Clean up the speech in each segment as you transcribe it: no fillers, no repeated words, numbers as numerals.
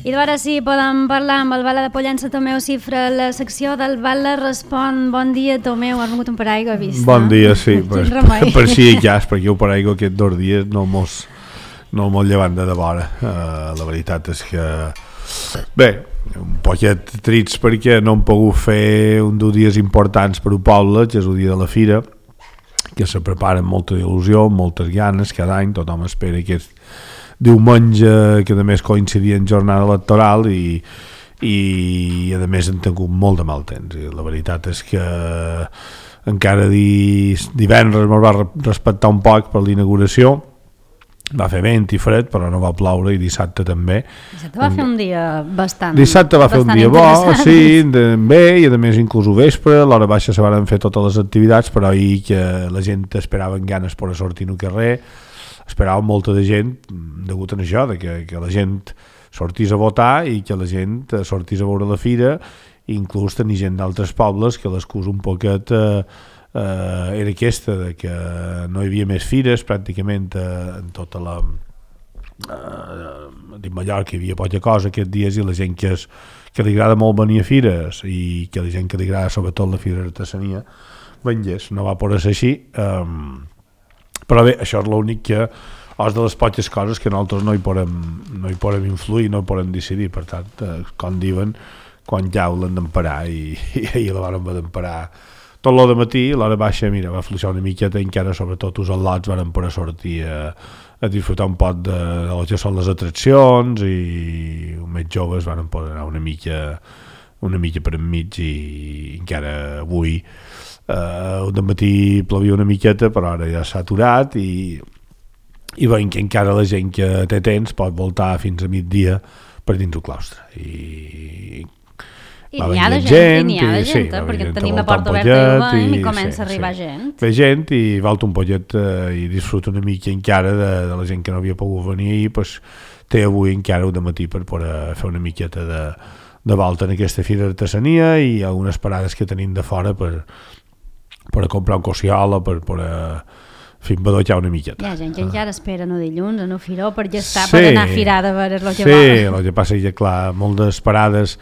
I ara sí, podem parlar amb el Bala de Pollença, Tomeu Cifra, la secció del Bala Respon. Bon dia, Tomeu, has vingut un paraigua, he vist. Bon dia, sí, per si hi has, perquè jo paraigua aquests 2 dies no mos llevant de vora. La veritat és que, bé, un poquet trist perquè no hem pogut fer un dels dies importants per al poble, que és el dia de la fira, que se prepara amb molta il·lusió, amb moltes ganes, cada any tothom espera aquest diumenge, que a més coincidia en jornada electoral i a més hem tingut molt de mal temps, i la veritat és que encara divendres ens va respectar un poc per l'inauguració, va fer vent i fred però no va ploure, i dissabte també. Dissabte va fer un dia bastant fer un dia bo, sí, bé, i a més inclús al vespre, a l'hora baixa se van fer totes les activitats, però ahir que la gent esperava amb ganes per sortir al carrer, esperava molta de gent degut a això, que la gent sortís a votar i que la gent sortís a veure la fira, i inclús tenir gent d'altres pobles, que l'excusa un poquet era aquesta, de que no hi havia més fires pràcticament en tota la a Mallorca hi havia poca cosa aquests dies, i la gent que li agrada molt venir a fires i que la gent que li agrada sobretot la fira d'artesania vengués, no va poder ser així. Però bé, això és l'únic que és de les poques coses que nosaltres no hi podem influir, no hi podem decidir. Per tant, com diuen, quan jau l'han d'emparar, i ahir la van d'emparar tot l'hora de matí, l'hora baixa, mira, va fluixar una miqueta, encara sobretot els al·lots van poder sortir a disfrutar un poc de el que són les atraccions, i els més joves van poder anar una mica per enmig, i encara avui de matí plovia una miqueta, però ara ja s'ha aturat, i veiem que encara la gent que té temps pot voltar fins a migdia per dins el claustre, i n'hi ha de gent, perquè tenim la porta oberta i comença a arribar gent. Ve gent i volta un pollet i disfruta una mica encara de la gent que no havia pogut venir ahir, doncs té avui encara un dematí per poder fer una miqueta de volta en aquesta fira d'artesania, i algunes parades que tenim de fora per comprar un cossiola, per fins badollar una miqueta. Hi ha gent que encara espera no dilluns, no firó, per gestar, per anar a firar de veure el que vol. Sí, el que passa és que, clar, moltes parades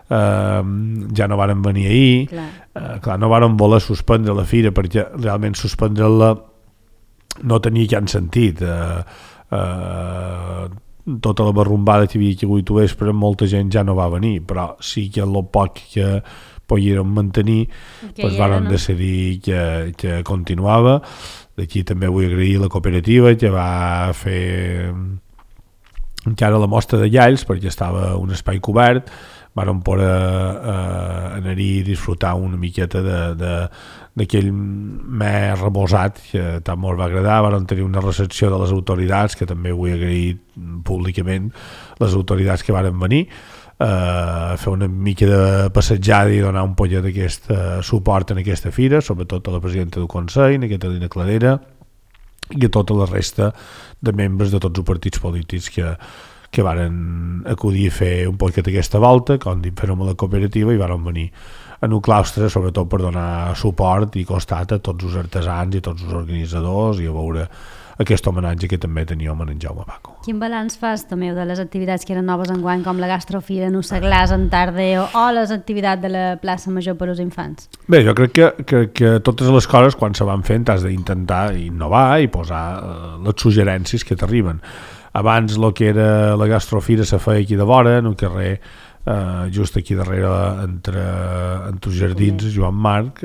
ja no varen venir ahir, clar, no varen voler suspendre la fira, perquè realment suspendre-la no tenia cap sentit. Tota la barrumbada que hi havia aquí avui tu vespre, molta gent ja no va venir, però sí que el poc que pogueren mantenir, doncs varen decidir que continuava. D'aquí també vull agrair la cooperativa, que va fer encara la mostra de llalls, perquè estava un espai cobert, varen poder anar-hi i disfrutar una miqueta d'aquell més reposat que tant molt va agradar. Varen tenir una recepció de les autoritats, que també vull agrair públicament les autoritats que varen venir a fer una mica de passejada i donar un pollet d'aquest suport en aquesta fira, sobretot a la presidenta del Consell, a Catalina Cladera, i a tota la resta de membres de tots els partits polítics que varen acudir a fer un poquet aquesta volta, com dic, fer-ho amb la cooperativa, i varen venir en un claustre, sobretot per donar suport i costat a tots els artesans i tots els organitzadors, i a veure aquest homenatge que també tenia en Jaume Paco. Quin balanç fas, Tomeu, de les activitats que eren noves enguany, com la gastrofira, no seglars en Tardeo, o les activitats de la plaça Major per als infants? Bé, jo crec que totes les coses, quan se van fent, has d'intentar innovar i posar les suggerències que t'arriben. Abans el que era la gastrofira se feia aquí de vora, en un carrer just aquí darrere entre els jardins Joan Marc,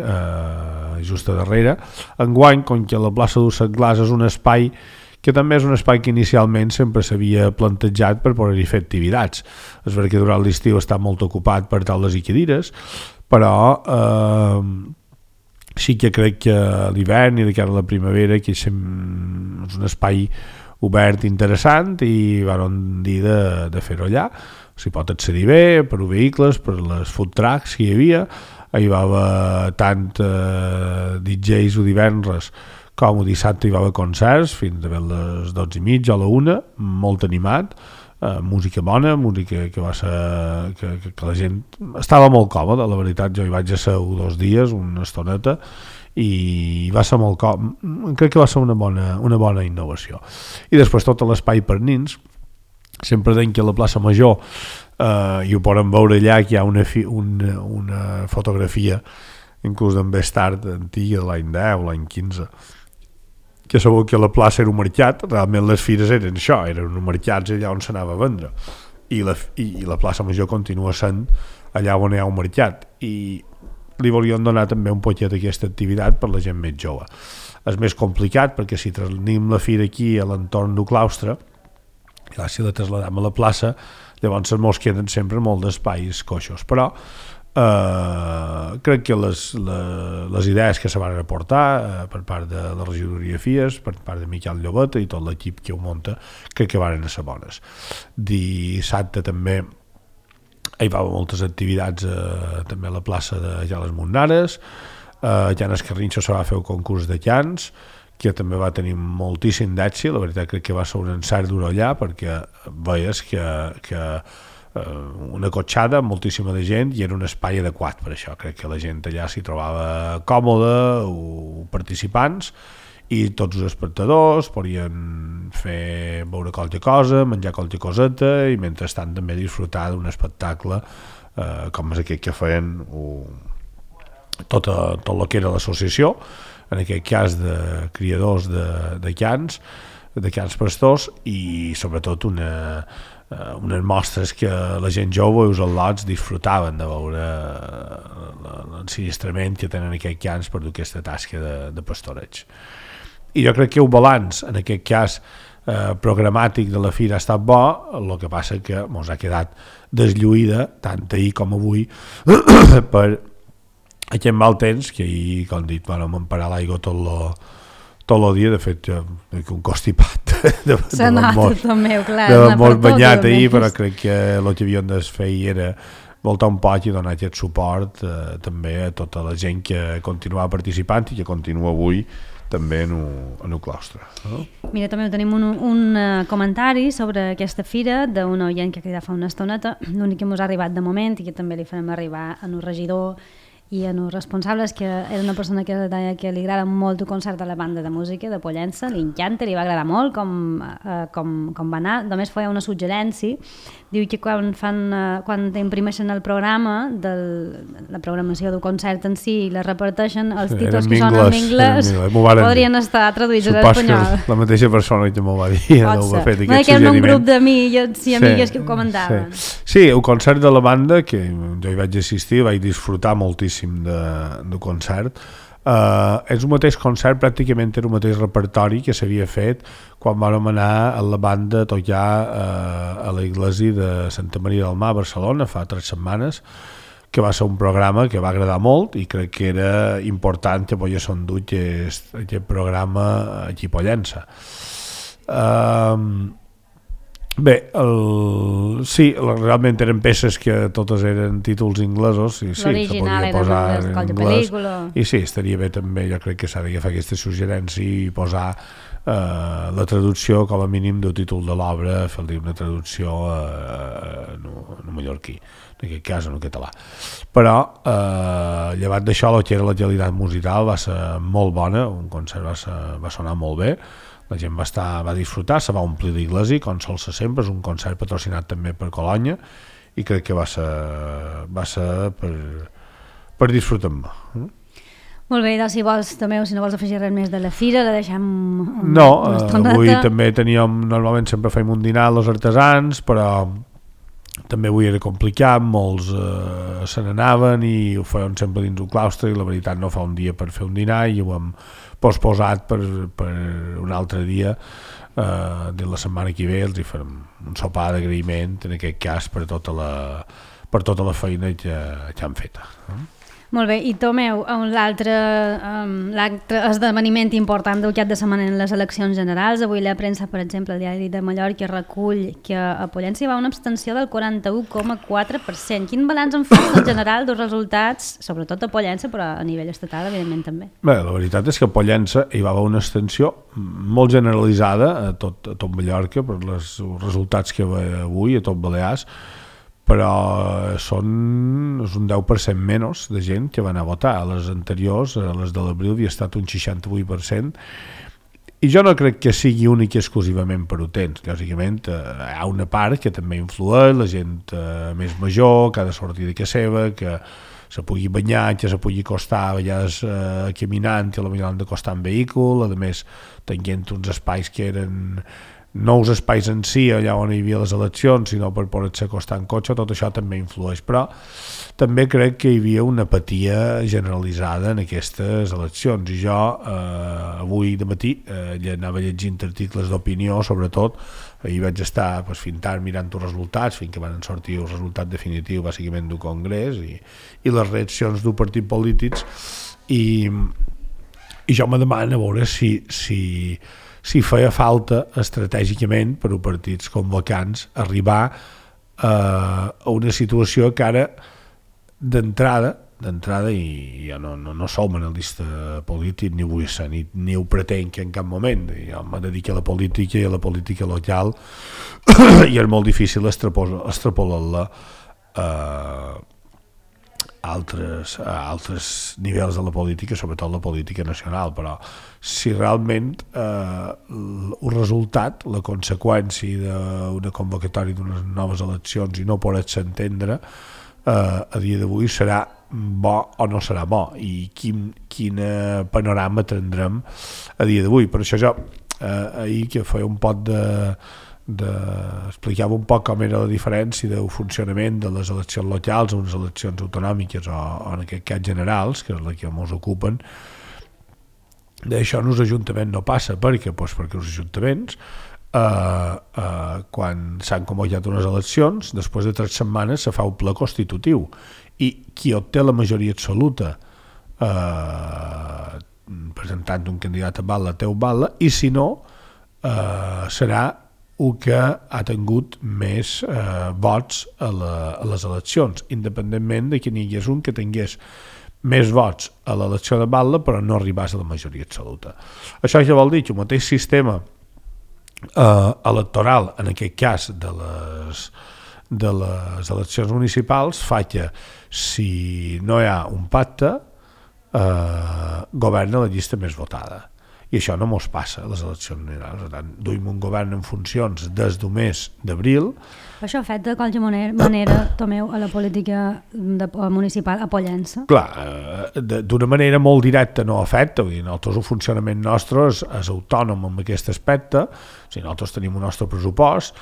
just a darrere. Enguany, com que la plaça dels Seglars és un espai que també és un espai que inicialment sempre s'havia plantejat per poder-hi fer activitats. És veritat que durant l'estiu està molt ocupat per taules i cadires, però sí que crec que l'hivern i de cara a la primavera que és un espai obert interessant, i van dir de fer-ho allà. S'hi pot accedir bé per els vehicles, per les food trucks que hi havia. Hi va haver tant DJs o divendres com el dissabte, hi va haver concerts fins a les 12:30 o la 1, molt animat, música bona, música que va ser que la gent estava molt còmoda, la veritat. Jo hi vaig a ser 2 dies, una estoneta, i va ser molt crec que va ser una bona innovació. I després tot l'espai per nins, sempre deien que a la plaça Major, i ho podem veure allà, que hi ha una fotografia inclús d'en Bestard, antiga, de l'any 10, l'any 15, que sabeu que la plaça era un mercat. Realment les fires eren això, eren uns mercats allà on s'anava a vendre, i la plaça Major continua sent allà on hi ha un mercat, i li volien donar també un poquet d'aquesta activitat per la gent més jove. És més complicat perquè si traslladem la fira aquí a l'entorn del claustre, clar, si la trasladem a la plaça, llavors mos queden sempre molt d'espais coixos, però crec que les idees que se van aportar per part de la regidoria FIES, per part de Miquel Llobeta i tot l'equip que ho munta, crec que van ser bones. Dissabte també hi va haver moltes activitats, també a la plaça de les Montnares. A Llanes Carrinxo se va fer un concurs de llans que també va tenir moltíssim d'èxit. La veritat crec que va ser un encert dur allà, perquè veies que una cotxada, moltíssima de gent, i era un espai adequat per això. Crec que la gent allà s'hi trobava còmoda, participants, i tots els espectadors podien veure qualque cosa, menjar qualque coseta, i mentrestant també disfrutar d'un espectacle com és aquest que feien tot el que era l'associació, en aquest cas de criadors de cans pastors, i sobretot unes mostres que la gent jove i els al·lots disfrutaven de veure l'ensinistrament que tenen aquests cans per dur aquesta tasca de pastoreig. I jo crec que el balanç, en aquest cas programàtic de la fira, ha estat bo. El que passa que ens ha quedat deslluïda, tant ahir com avui, per aquest mal temps, que ahir, com dit, vam emparar l'aigua tot el dia. De fet, un constipat de molt banyat ahir, però crec que el que havíem de fer era voltar un poc i donar aquest suport també a tota la gent que continuava participant i que continua avui també en el claustre. Mira, també tenim un comentari sobre aquesta fira d'un oient que ha cridat fa una estoneta. L'únic que ens ha arribat de moment, i que també li farem arribar a un regidor i en els responsables, que era una persona que deia que li agrada molt el concert de la banda de música de Pollença, li encanta, li va agradar molt com va anar. Només feia una suggerència, diu que quan imprimeixen el programa la programació del concert en si i la reparteixen, els títols que són en anglès podrien estar traduïts a l'espanyol. Supos que la mateixa persona que m'ho va dir, ho ha fet aquest suggeriment. Un grup d'amics i amigues que ho comentaven. Sí, el concert de la banda, que jo hi vaig assistir, vaig disfrutar moltíssim de concert. És el mateix concert, pràcticament era el mateix repertori que s'havia fet quan vam anar a la banda a tocar a l'església de Santa Maria del Mar a Barcelona fa 3 setmanes, que va ser un programa que va agradar molt, i crec que era important que pogués endur aquest programa aquí a Pollença. Bé, sí, realment eren peces que totes eren títols inglesos, i sí, se podia posar en anglès, i sí, estaria bé també. Jo crec que s'ha d'agafar aquesta suggerència i posar la traducció com a mínim del títol de l'obra, fer-li una traducció en mallorquí, en aquest cas en català. Però llevat d'això, el que era la qualitat musical va ser molt bona, un concert va sonar molt bé, la gent va disfrutar, se va omplir l'església com sol ser sempre. És un concert patrocinat també per Colònia, i crec que va ser per disfrutar-me. Molt bé, doncs si vols, Tomeu, si no vols afegir res més de la fira, la deixem una estoneta. Avui també normalment sempre fem un dinar als artesans, però també avui era complicat, molts se n'anaven i ho feien sempre dins un claustre, i la veritat no fa un dia per fer un dinar, i ho hem posposat per un altre dia. De la setmana que ve els hi farem un sopar d'agraïment, en aquest cas per tota la feina que han fet. Molt bé, i Tomeu, l'altre esdeveniment important del cap de setmana en les eleccions generals. Avui la premsa, per exemple, el Diari de Mallorca recull que a Pollença hi va una abstenció del 41,4%. Quin balanç en fas en general dels resultats, sobretot a Pollença, però a nivell estatal, evidentment, també? Bé, la veritat és que a Pollença hi va haver una abstenció molt generalitzada a tot Mallorca, per els resultats que ve avui a tot Balears, però és un 10% menys de gent que va anar a votar. A les anteriors, a les de l'abril, havia estat un 68%, I jo no crec que sigui únic i exclusivament per utents. Lògicament, hi ha una part que també influeix, la gent més major, que ha de sortir de casa seva, que se pugui banyar, que se pugui costar a vegades caminant, i potser han de costar en vehícul, a més tenint uns espais que eren nous espais en si, allà on hi havia les eleccions, sinó per poder-se acostar en cotxe, tot això també influeix, però també crec que hi havia una apatia generalitzada en aquestes eleccions, i jo avui de matí anava llegint articles d'opinió, sobretot ahir vaig estar fintant mirant els resultats fins que van sortir el resultat definitiu bàsicament del Congrés i les reaccions dels partits polítics, i jo me demano a veure si feia falta estratègicament per a partits convocants arribar a una situació que ara d'entrada, i jo no som analista polític, ni vull ser, ni ho pretenc en cap moment. Jo me dedico a la política i a la política local i és molt difícil extrapolar-la a altres nivells de la política, sobretot la política nacional, però si realment el resultat, la conseqüència d'una convocatòria d'unes noves eleccions i no poder-se entendre a dia d'avui serà bo o no serà bo, i quin panorama tindrem a dia d'avui. Per això jo ahir que feia un poc explicava un poc com era la diferència del funcionament de les eleccions locals a unes eleccions autonòmiques o en aquest cas generals, que és la que ens ocupen. D'això en els ajuntaments no passa, perquè els ajuntaments quan s'han convocat unes eleccions, després de 3 setmanes se fa un ple constitutiu, i qui obté la majoria absoluta presentant un candidat a batlle té un batlle, i si no serà el que ha tingut més vots a les eleccions, independentment de que n'hi hagués un que tingués més vots a l'elecció de batlle però no arribés a la majoria absoluta. Això ja vol dir que el mateix sistema electoral, en aquest cas de les eleccions municipals, fa que si no hi ha un pacte governa la llista més votada, i això no mos passa a les eleccions generals. Per tant, duim un govern en funcions des del mes d'abril. Això afecta de qualsevol manera, Tomeu, a la política municipal apoyant-se? Clar, d'una manera molt directa no afecta. Nosaltres el funcionament nostre és autònom en aquest aspecte. Nosaltres tenim un nostre pressupost,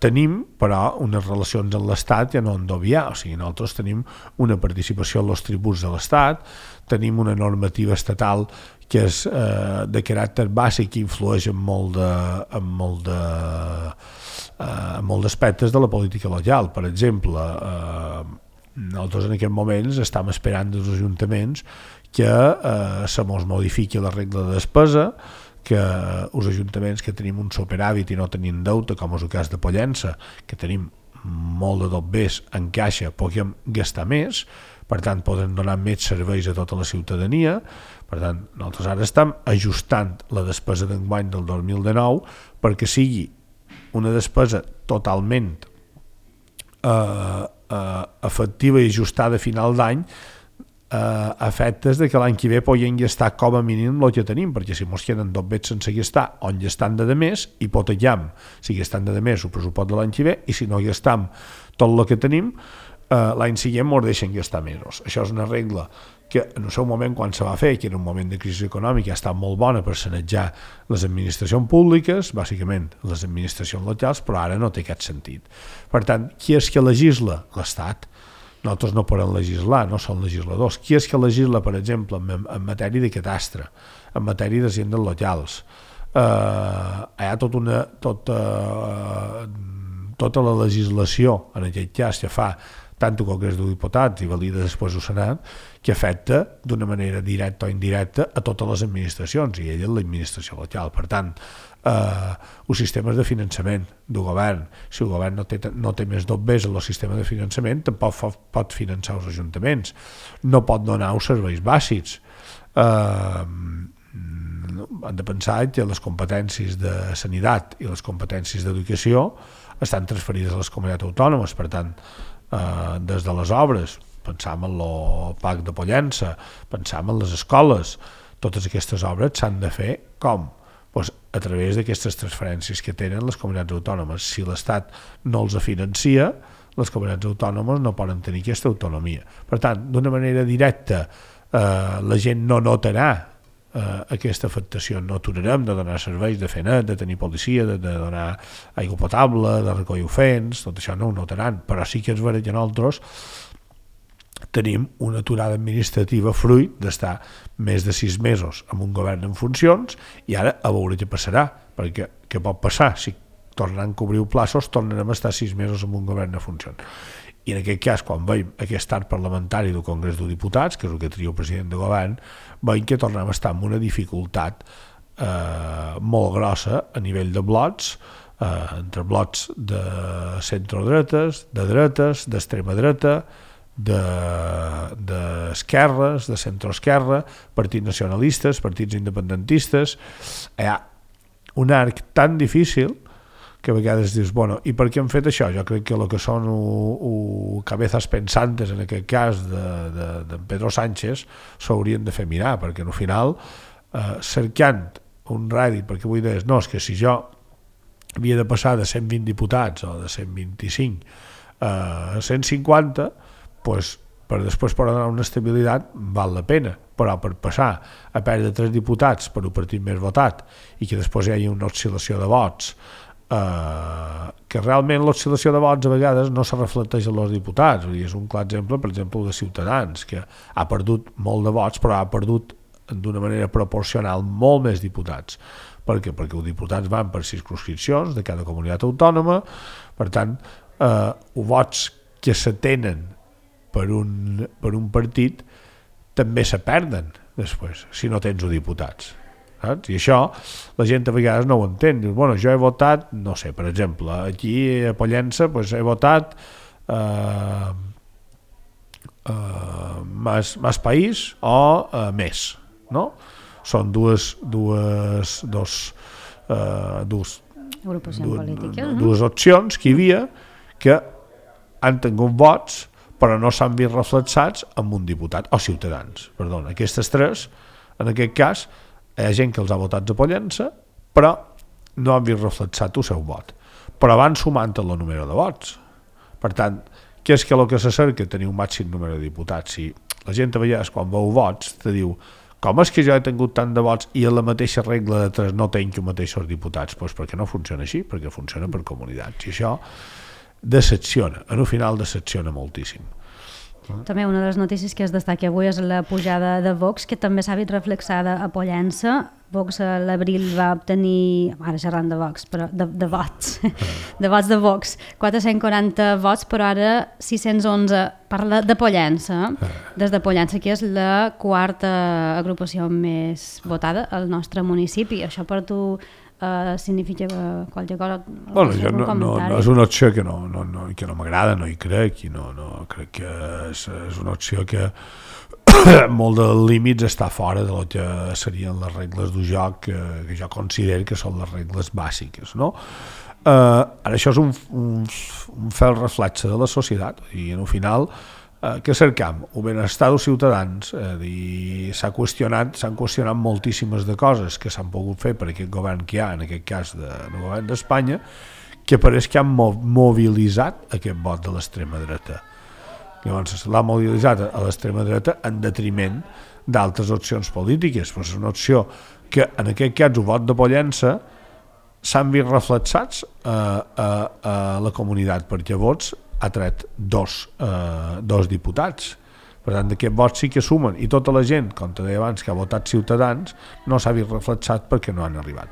tenim però unes relacions amb l'Estat ja no han d'obviar. Nosaltres tenim una participació en els tributs de l'Estat, tenim una normativa estatal que és de caràcter bàsic i influeix en molts aspectes de la política local. Per exemple, nosaltres en aquests moments estem esperant dels ajuntaments que se mos modifiqui la regla de despesa, que els ajuntaments que tenim un superàvit i no tenim deute, com és el cas de Pollença, que tenim molt de dobbers en caixa, puguem gastar més, per tant podem donar més serveis a tota la ciutadania. Per tant, nosaltres ara estem ajustant la despesa d'enguany del 2019 perquè sigui una despesa totalment efectiva i ajustada a final d'any, a efectes de que l'any que ve podem gastar com a mínim el que tenim, perquè si mos queden dobbers sense gastar, on gastam de més, hipotecam si gastam de més el pressupost de l'any que ve, i si no gastam tot el que tenim, l'any següent ens deixen gastar mesos. Això és una regla que en el seu moment, quan se va fer, que era un moment de crisi econòmica, ha estat molt bona per sanejar les administracions públiques, bàsicament les administracions locals, però ara no té cap sentit. Per tant, qui és que legisla? L'Estat. Nosaltres no podem legislar, no som legisladors. Qui és que legisla, per exemple, en matèria de catastre, en matèria d'agendes locals? Hi ha tota la legislació, en aquest cas, que fa tant el Congrés dels Diputats i valida després el Senat, que afecta d'una manera directa o indirecta a totes les administracions, i ella és l'administració local. Per tant, els sistemes de finançament del govern, si el govern no té més dobbers en el sistema de finançament, tampoc pot finançar els ajuntaments, no pot donar els serveis bàsics. Han de pensar que les competències de sanitat i les competències d'educació estan transferides a les comunitats autònomes. Per tant, des de les obres, pensam en el PAC de Pollença, pensam en les escoles, totes aquestes obres s'han de fer com? Pues a través d'aquestes transferències que tenen les comunitats autònomes. Si l'Estat no els financia, les comunitats autònomes no poden tenir aquesta autonomia. Per tant, d'una manera directa, la gent no notarà aquesta afectació. No aturarem de donar serveis, de fer net, de tenir policia, de donar aigua potable, de recollir ofens, tot això no ho notaran, però sí que és vera que nosaltres tenim una aturada administrativa fruit d'estar més de 6 mesos amb un govern en funcions i ara a veure què passarà, perquè què pot passar? Si tornaran a cobrir plaços, tornarem a estar 6 mesos amb un govern en funcions. I en aquest cas, quan veiem aquest art parlamentari del Congrés dels Diputats, que és el que tria el president de govern, veiem que tornem a estar amb una dificultat molt grossa a nivell de blocs, entre blocs de centrodretes, de dretes, d'extrema dreta, d'esquerres, de centroesquerra, partits nacionalistes, partits independentistes. Hi ha un arc tan difícil que a vegades dius, bueno, i per què han fet això? Jo crec que el que són cabezas pensantes, en aquest cas de Pedro Sánchez, s'haurien de fer mirar, perquè al final, cercant un rèdit, perquè avui deies, no, és que si jo havia de passar de 120 diputats o de 125 a 150, pues, per després per donar una estabilitat val la pena, però per passar a perdre 3 diputats per un partit més votat i que després hi hagi una oscil·lació de vots, que realment l'oscil·lació de vots a vegades no se reflecteix en els diputats. És un clar exemple, per exemple, de Ciutadans, que ha perdut molt de vots, però ha perdut d'una manera proporcional molt més diputats. Per què? Perquè els diputats van per circumscripcions de cada comunitat autònoma, per tant, vots que se tenen per un partit també se perden després, si no tens diputats. Saps? I això la gent a vegades no ho entén. Dius, bueno, jo he votat, no sé, per exemple, aquí a Pollença pues, he votat Más País o Més, no? Són dues opcions que hi havia que han tingut vots però no s'han vist reflexats amb un diputat, o Ciutadans, perdona. Aquestes tres, en aquest cas, hi ha gent que els ha votat a Pollença, però no han vist reflexat el seu vot. Però van sumant el número de vots. Per tant, què és que el que se cerca? Tenir un màxim número de diputats. Si la gent a vegades, quan veu vots, te diu, com és que jo he tingut tant de vots i a la mateixa regla de 3 no tenc els mateixos diputats? Doncs perquè no funciona així, perquè funciona per comunitats. I això decepciona, al final decepciona moltíssim. També una de les notícies que es destaca avui és la pujada de Vox, que també s'ha vist reflexada a Pollença. Vox a l'abril va obtenir, ara xerrant de Vox, però de vots, de vots de Vox, 440 vots, però ara 611 parla de Pollença, des de Pollença, que és la quarta agrupació més votada al nostre municipi. Això per tu significa qualque cosa? Bueno, no és una opció que no m'agrada, no hi crec, i no crec que és una opció que molt dels límits està fora de lo que serien les regles del joc que jo considero que són les regles bàsiques, no? Ara això és un fel reflexe de la societat i al final que cercam el benestar dels ciutadans. S'han qüestionat moltíssimes de coses que s'han pogut fer per aquest govern que hi ha, en aquest cas del govern d'Espanya, que pareix que han mobilitzat aquest vot de l'extrema dreta. Llavors l'ha mobilitzat a l'extrema dreta en detriment d'altres opcions polítiques. Però és una opció que en aquest cas el vot de Pollença s'han vist reflexats a la comunitat, perquè vots ha tret dos diputats. Per tant, d'aquests vots sí que sumen, i tota la gent, com te deia abans, que ha votat Ciutadans, no s'ha vist reflexat perquè no han arribat.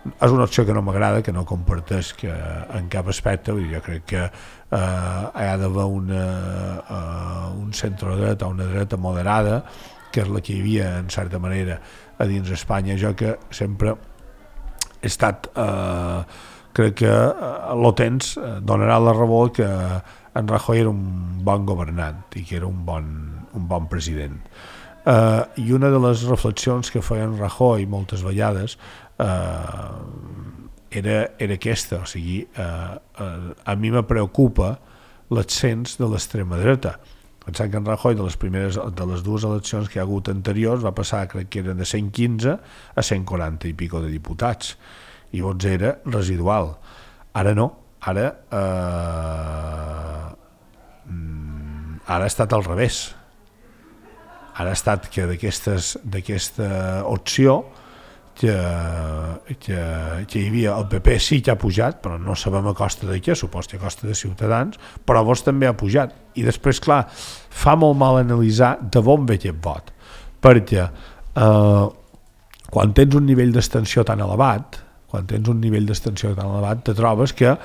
És una opció que no m'agrada, que no comparteix en cap aspecte. Jo crec que hi ha d'haver un centrodreta, una dreta moderada, que és la que hi havia, en certa manera, a dins d'Espanya. Jo que sempre he estat... crec que l'Otens donarà la raó que en Rajoy era un bon governant i que era un bon president. I una de les reflexions que feia en Rajoy moltes vegades era aquesta, o sigui, a mi me preocupa l'ascens de l'extrema dreta. Pensant que en Rajoy de les dues eleccions que hi ha hagut anteriors va passar, crec que eren de 115 a 140 i pico de diputats, i vots era residual. Ara no, ara ha estat al revés. Ara ha estat que d'aquesta opció que hi havia el PP sí que ha pujat, però no sabem a costa de què, supos que a costa de Ciutadans, però Vox també ha pujat. I després, clar, fa molt mal analitzar de on ve aquest vot, perquè quan tens un nivell d'extensió tan elevat, te trobes que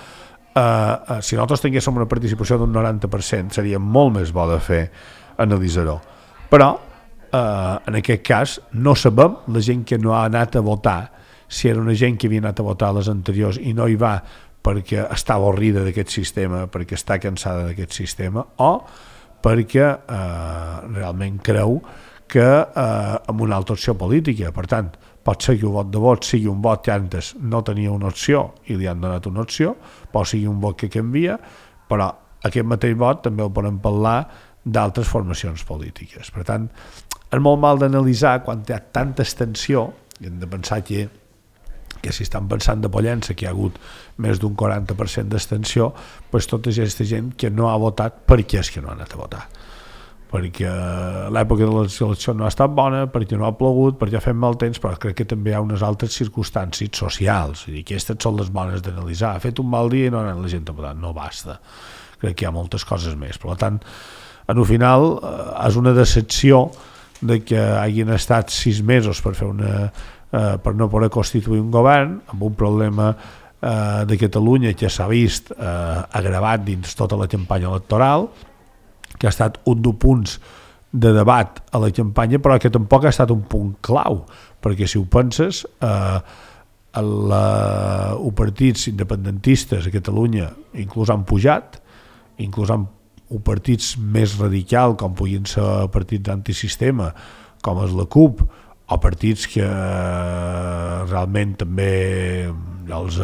si nosaltres tinguéssim una participació d'un 90% seria molt més bo de fer analitzar-ho. Però en aquest cas no sabem la gent que no ha anat a votar si era una gent que havia anat a votar a les anteriors i no hi va perquè està avorrida d'aquest sistema, perquè està cansada d'aquest sistema, o perquè realment creu que amb una altra opció política. Per tant, pot ser que el vot de vot sigui un vot que antes no tenia una opció i li han donat una opció, pot ser un vot que canvia, però aquest mateix vot també el podem parlar d'altres formacions polítiques. Per tant, és molt mal d'analitzar quan hi ha tanta extensió, i hem de pensar que si estan pensant de Pollença que hi ha hagut més d'un 40% d'extensió, doncs tota aquesta gent que no ha votat, per què és que no ha anat a votar? Perquè l'època de les eleccions no ha estat bona, perquè no ha plogut, perquè ha fet mal temps, però crec que també hi ha unes altres circumstàncies socials, i aquestes són les bones d'analitzar. Ha fet un mal dia i no ha anat la gent a votar, no basta. Crec que hi ha moltes coses més. Per tant, en el final és una decepció de que hagin estat 6 mesos per per no poder constituir un govern, amb un problema de Catalunya que s'ha vist agravat dins tota la campanya electoral, que ha estat un dels punts de debat a la campanya, però que tampoc ha estat un punt clau, perquè si ho penses, els partits independentistes a Catalunya inclús han pujat, inclús han partits més radicals com puguin ser partits antisistema com és la CUP, o partits que realment també els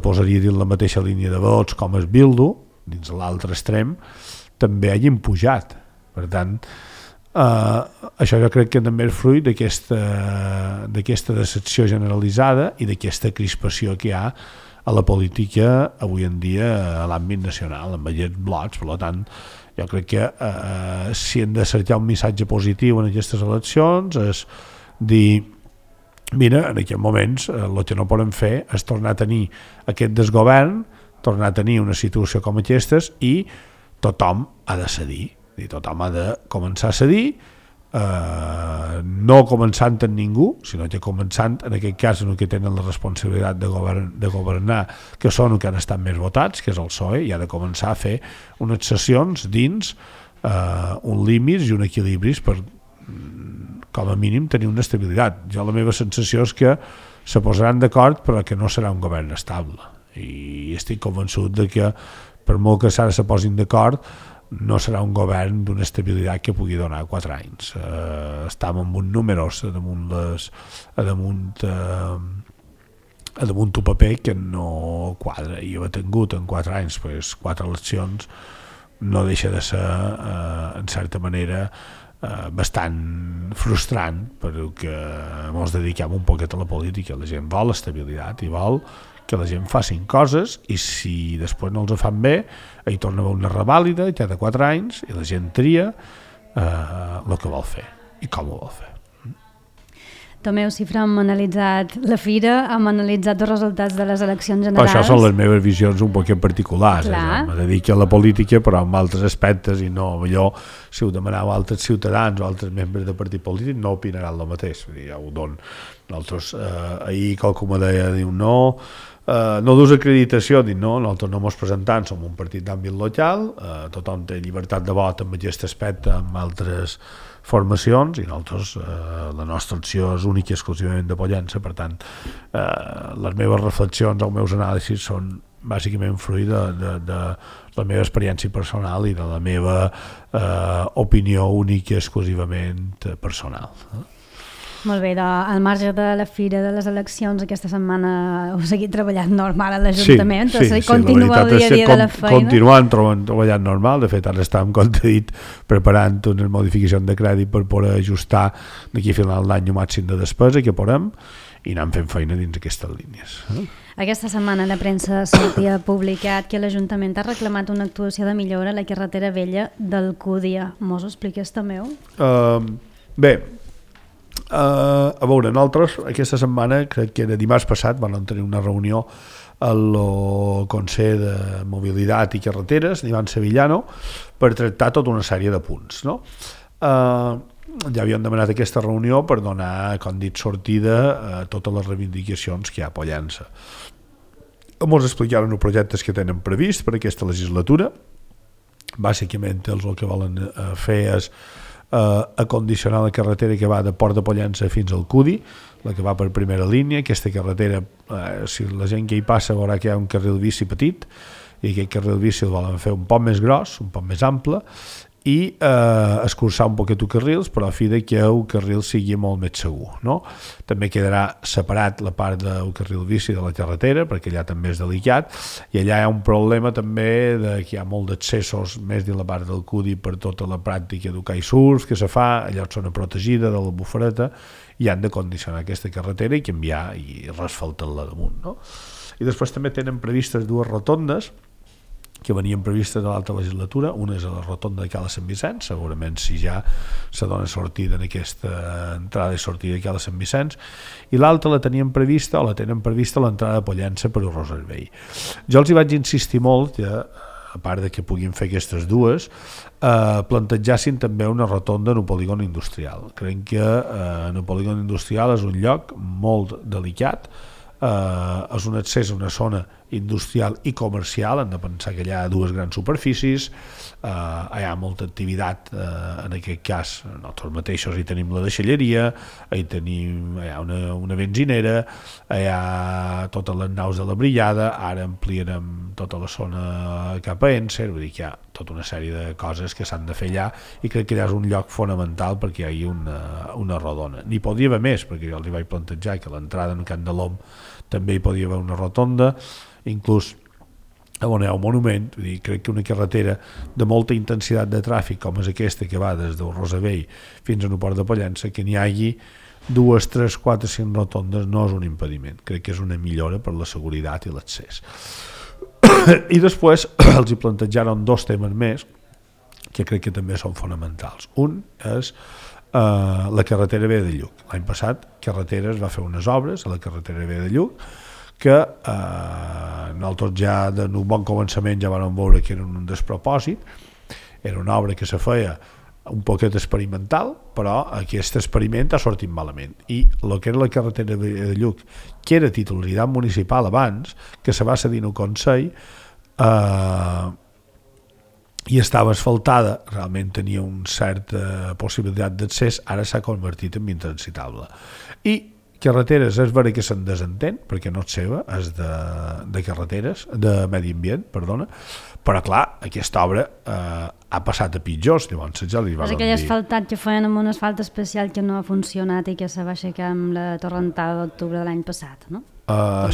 posaria dins la mateixa línia de vots com és Bildu, dins l'altre extrem, també hagin pujat. Per tant, això jo crec que també és fruit d'aquesta decepció generalitzada i d'aquesta crispació que hi ha a la política avui en dia a l'àmbit nacional, amb aquests blocs. Per tant, jo crec que si hem de cercar un missatge positiu en aquestes eleccions és dir, mira, en aquests moments el que no podem fer és tornar a tenir aquest desgovern, tornar a tenir una situació com aquestes, i tothom ha de cedir, tothom ha de començar a cedir, no començant en ningú, sinó que començant en aquest cas en el que tenen la responsabilitat de governar, que són els que han estat més votats, que és el PSOE, i ha de començar a fer unes sessions dins uns límits i un equilibris per, com a mínim, tenir una estabilitat. Jo la meva sensació és que se posaran d'acord, però que no serà un govern estable, i estic convençut de que per molt que ara se posin d'acord no serà un govern d'una estabilitat que pugui donar 4 anys. Estem amb uns números a damunt un paper que no quadra, i haver tingut en 4 anys 4 eleccions no deixa de ser en certa manera bastant frustrant, perquè ens dediquem un poquet a la política. La gent vol estabilitat i vol que la gent facin coses, i si després no els fan bé, hi torna a haver una revàlida cada 4 anys i la gent tria el que vol fer i com ho vol fer. Tomeu Cifra, hem analitzat la fira, hem analitzat els resultats de les eleccions generals. Però això són les meves visions un poc particulars. Me dedico a la política, però amb altres aspectes, i no, millor si ho demaneu a altres ciutadans o altres membres de partit polític no opinaran el mateix. Ja ho dono. Nosaltres, ahir qualcú me deia, diu, no dus acreditació, dic no, nosaltres no ens presentem, som un partit d'àmbit local, tothom té llibertat de vot en aquest aspecte, amb altres formacions, i nosaltres la nostra opció és única i exclusivament de Pollença. Per tant, les meves reflexions, els meus anàlisis són bàsicament fruit de la meva experiència personal i de la meva opinió única i exclusivament personal. Molt bé, al marge de la fira de les eleccions, aquesta setmana heu seguit treballant normal a l'Ajuntament, continua el dia a dia de la feina. Continuem treballant normal, de fet ara estem, com t'he dit, preparant unes modificacions de crèdit per poder ajustar d'aquí a final d'any el màxim de despesa que podem i anem fent feina dins aquestes línies. Aquesta setmana la premsa sortia publicat que l'Ajuntament ha reclamat una actuació de millora a la carretera vella d'Alcúdia. Mos ho expliques també? Bé, a veure, nosaltres aquesta setmana, crec que era dimarts passat, vam tenir una reunió al Consell de Mobilitat i Carreteres d'Ivan Sevillano per tractar tota una sèrie de punts, no? Ja havíem demanat aquesta reunió per donar, com dit, sortida a totes les reivindicacions que hi ha a Pollença. Ens explicaran els projectes que tenen previst per aquesta legislatura. Bàsicament el que volen fer és acondicionar la carretera que va de Port de Pollença fins al Cudi, la que va per primera línia. Aquesta carretera, si la gent que hi passa veurà que hi ha un carril bici petit i aquest carril bici el volen fer un poc més gros, un poc més ample i escurçar un poquet els carrils, però a fi de que el carril sigui molt més segur, no? També quedarà separat la part del carril bici de la carretera, perquè allà també és delicat, i allà hi ha un problema també de que hi ha molt d'accessos més dins la part del Cudi per tota la pràctica del kitesurf que se fa, allò és zona protegida de la bufareta, i han de condicionar aquesta carretera i canviar i resfaltar-la damunt, no? I després també tenen previstes dues rotondes que venien previstes a l'altra legislatura. Una és a la rotonda de Cala Sant Vicenç, segurament si ja se dona sortida en aquesta entrada i sortida de Cala Sant Vicenç, i l'altra la tenen prevista l'entrada de Pollença per Ros Servei. Jo els hi vaig insistir molt que, a part de que puguin fer aquestes dues, plantejassin també una rotonda en un polígon industrial. Crec que en un polígon industrial és un lloc molt delicat, és un accés a una zona industrial i comercial. Hem de pensar que hi ha dues grans superfícies, hi ha molta activitat, en aquest cas nosaltres mateixos hi tenim la deixalleria, hi ha una benzinera, hi ha totes les naus de la brillada, ara ampliarem tota la zona cap a Encer, vull dir que hi ha tota una sèrie de coses que s'han de fer allà i crec que allà és un lloc fonamental perquè hi hagi una rodona. N'hi podria haver més, perquè jo els hi vaig plantejar que l'entrada en Can de l'Om també hi podia haver una rotonda, inclús on hi ha un monument. Vull dir, crec que una carretera de molta intensitat de tràfic com és aquesta que va des del Rosavell fins a Port de Pollença, que n'hi hagi 2, 3, 4, 5 rotondes no és un impediment, crec que és una millora per la seguretat i l'accés. I després els hi plantejaron dos temes més que crec que també són fonamentals. Un és la carretera Vella de Lluc. L'any passat Carreteres va fer unes obres a la carretera Vella de Lluc que nosaltres ja en un bon començament ja vam veure que era un despropòsit. Era una obra que se feia un poquet experimental, però aquest experiment ha sortit malament, i el que era la carretera de Lluc, que era titularitat municipal abans, que se va cedir al Consell i estava asfaltada, realment tenia una certa possibilitat d'accés, ara s'ha convertit en intransitable. I Carreteres és vera que se'n desentén, perquè no és seva, és de carreteres, de medi ambient, perdona, però clar, aquesta obra ha passat a pitjors, llavors ja li van dir... És aquell asfaltat que feien amb un asfalt especial que no ha funcionat i que se va aixecar amb la torrentada d'octubre de l'any passat, no?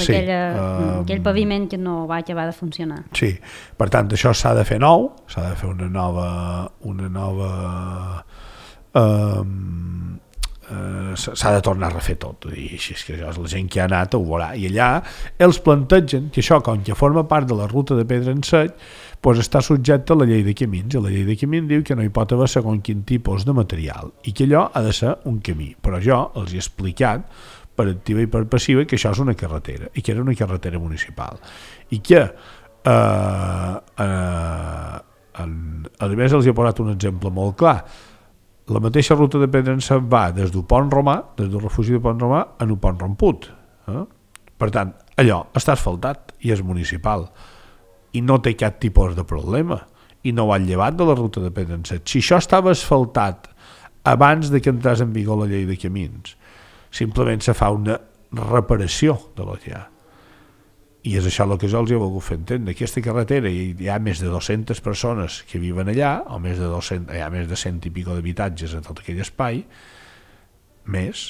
Sí. Aquell paviment que no va acabar de funcionar. Sí, per tant, això s'ha de fer nou, s'ha de fer una nova s'ha de tornar a refer tot, i així és que la gent que ha anat ho veurà, i allà els plantegen que això, com que forma part de la ruta de Pedra en Sec, doncs està subjecte a la llei de camins, i la llei de camins diu que no hi pot haver segons quin tipus de material i que allò ha de ser un camí, però jo els he explicat per activa i per passiva que això és una carretera i que era una carretera municipal i que a més els he posat un exemple molt clar. La mateixa ruta de Pedra en Sec va des del Pont Romà, des del refugi de Pont Romà, a un Pont Romput. Per tant, allò està asfaltat i és municipal i no té cap tipus de problema i no ho han llevat de la ruta de Pedra en Sec. Si això estava asfaltat abans de que entrés en vigor la llei de camins, simplement se fa una reparació de lo que hi ha. I és això el que jo els he volgut fer entendre. Aquesta carretera hi ha més de 200 persones que viven allà, o més de 200, hi ha més de 100 i pico d'habitatges en tot aquell espai, més,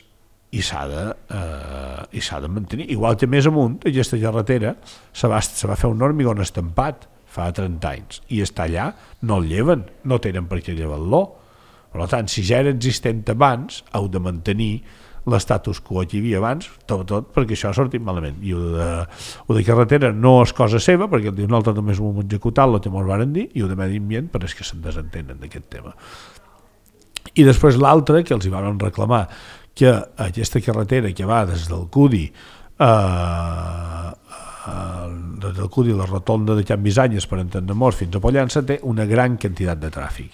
i s'ha de mantenir. Igual que més amunt, aquesta carretera se va fer un hormigón estampat fa 30 anys, i està allà, no el lleven, no tenen per què llevar-lo. Per tant, si ja era existent abans, heu de mantenir l'estatus quo que hi havia abans, tot perquè això ha sortit malament. I ho de carretera no és cosa seva, perquè el dia nosaltres només ho hem executat, el que ens varen dir, i ho de medi ambient, però és que se'n desentenen d'aquest tema. I després l'altre, que els hi van reclamar, que aquesta carretera que va des del Cudi la rotonda de Can Bisanyes per entendre-nos fins a Pollença té una gran quantitat de tràfic.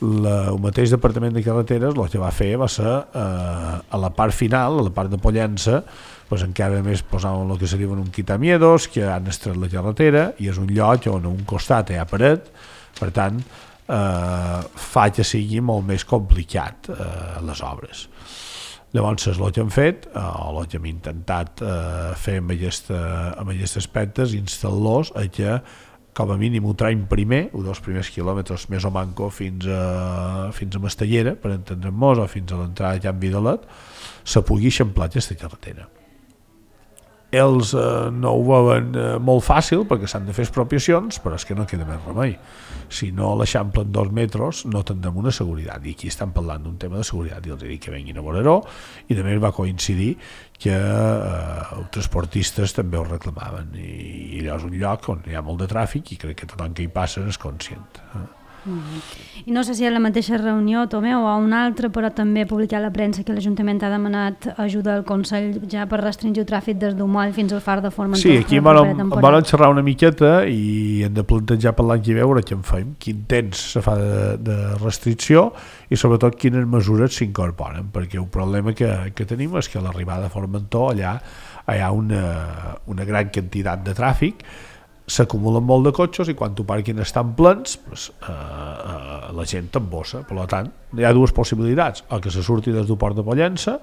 El mateix departament de carreteres el que va fer va ser a la part final, a la part de Pollença, doncs encara més posaven el que se diuen un quitamiedos, que han estret la carretera i és un lloc on a un costat hi ha paret, per tant fa que sigui molt més complicat les obres. Llavors és el que hem fet, o el que hem intentat fer amb aquests aspectes, instal·lar-los a que com a mínim ho traiem primer, dels primers quilòmetres més o manco fins a Mastellera, per entendre'ns, o fins a l'entrada de Can Vidalet, se pugui eixamplar aquesta carretera. Ells no ho veuen molt fàcil perquè s'han de fer expropiacions, però és que no queda més remei. Si no l'eixamplen 2 metres no tindrem una seguretat, i aquí estan parlant d'un tema de seguretat i els dic que venguin a veure-ho, i també va coincidir que els transportistes també ho reclamaven, i allò és un lloc on hi ha molt de tràfic i crec que tothom que hi passa és conscient. I no sé si a la mateixa reunió, Tomeu, o a una altra, però també publicar a la premsa que l'Ajuntament ha demanat ajuda al Consell ja per restringir el tràfic des d'Umoll fins al far de Formentó. Sí, aquí vam xerrar una miqueta i hem de plantejar per l'any que ve veure què en fem, quin temps se fa de restricció i sobretot quines mesures s'incorporen, perquè el problema que tenim és que a l'arribada de Formentó allà hi ha una gran quantitat de tràfic, s'acumulen molt de cotxes i quan t'ho estan plens la gent t'embossa. Per tant, hi ha dues possibilitats: o que se surti des del port de Pollença,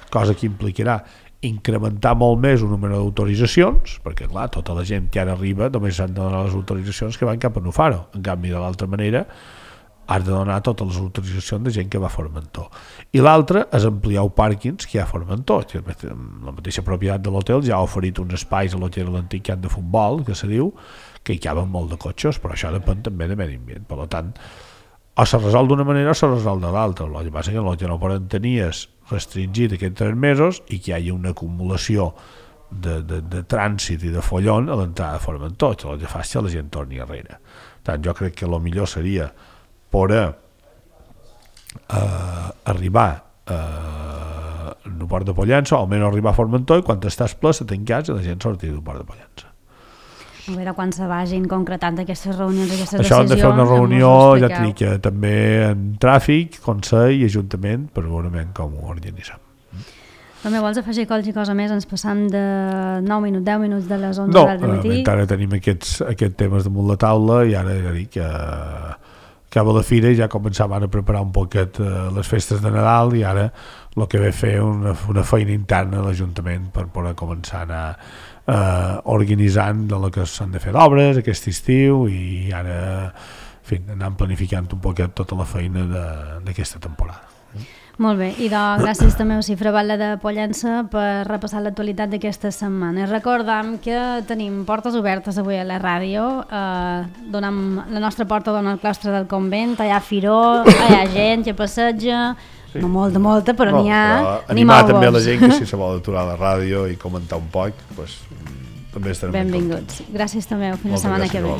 cosa que implicarà incrementar molt més el número d'autoritzacions, perquè clar, tota la gent que ara arriba només s'han de donar les autoritzacions que van cap a Nufaro. En canvi, de l'altra manera has de donar totes les autoritzacions de gent que va a Formentó. I l'altre és ampliar els pàrquings que hi ha a Formentó. La mateixa propietat de l'hotel ja ha oferit uns espais a l'hotel l'antic camp de futbol, que se diu, que hi caben molt de cotxes, però això depèn també de medi ambient. Per tant, o se resol d'una manera o se resol de l'altra. El que passa que el que no poden tenir és restringir aquests 3 mesos i que hi hagi una acumulació de trànsit i de follon a l'entrada de Formentó, que el que fa és que la gent torni enrere. Per tant, jo crec que el millor seria poder arribar al port de Pollença, o almenys arribar a Formentó, i quan estàs ple se tancats i la gent sortir del port de Pollença. A veure quan se vagin concretant aquestes reunions, aquestes decisions. Això hem de fer una reunió, ja t'he dit que també en tràfic, Consell i Ajuntament, per veure com ho organitzem. També vols afegir qualsevol cosa més? Ens passam de 9 minuts, 10 minuts de les 11 del matí. No, encara tenim aquests temes damunt la taula i ara ja dic que acaba la fira i ja començaven a preparar un poquet les festes de Nadal i ara el que ve fer una feina interna a l'Ajuntament per poder començar a anar organitzant de lo que s'han de fer d'obres aquest estiu i ara anant planificant un poquet tota la feina d'aquesta temporada. Molt bé, i gràcies també a Cifra Batlle de Pollença per repassar l'actualitat d'aquesta setmana. Recordam que tenim portes obertes avui a la ràdio, la nostra porta dona al claustre del convent, hi ha firó, hi ha gent que passeja, sí. No molta, però n'hi ha. Animar també la gent que si se vol aturar a la ràdio i comentar un poc, doncs també estarem benvinguts. Gràcies també, fins la setmana que ve.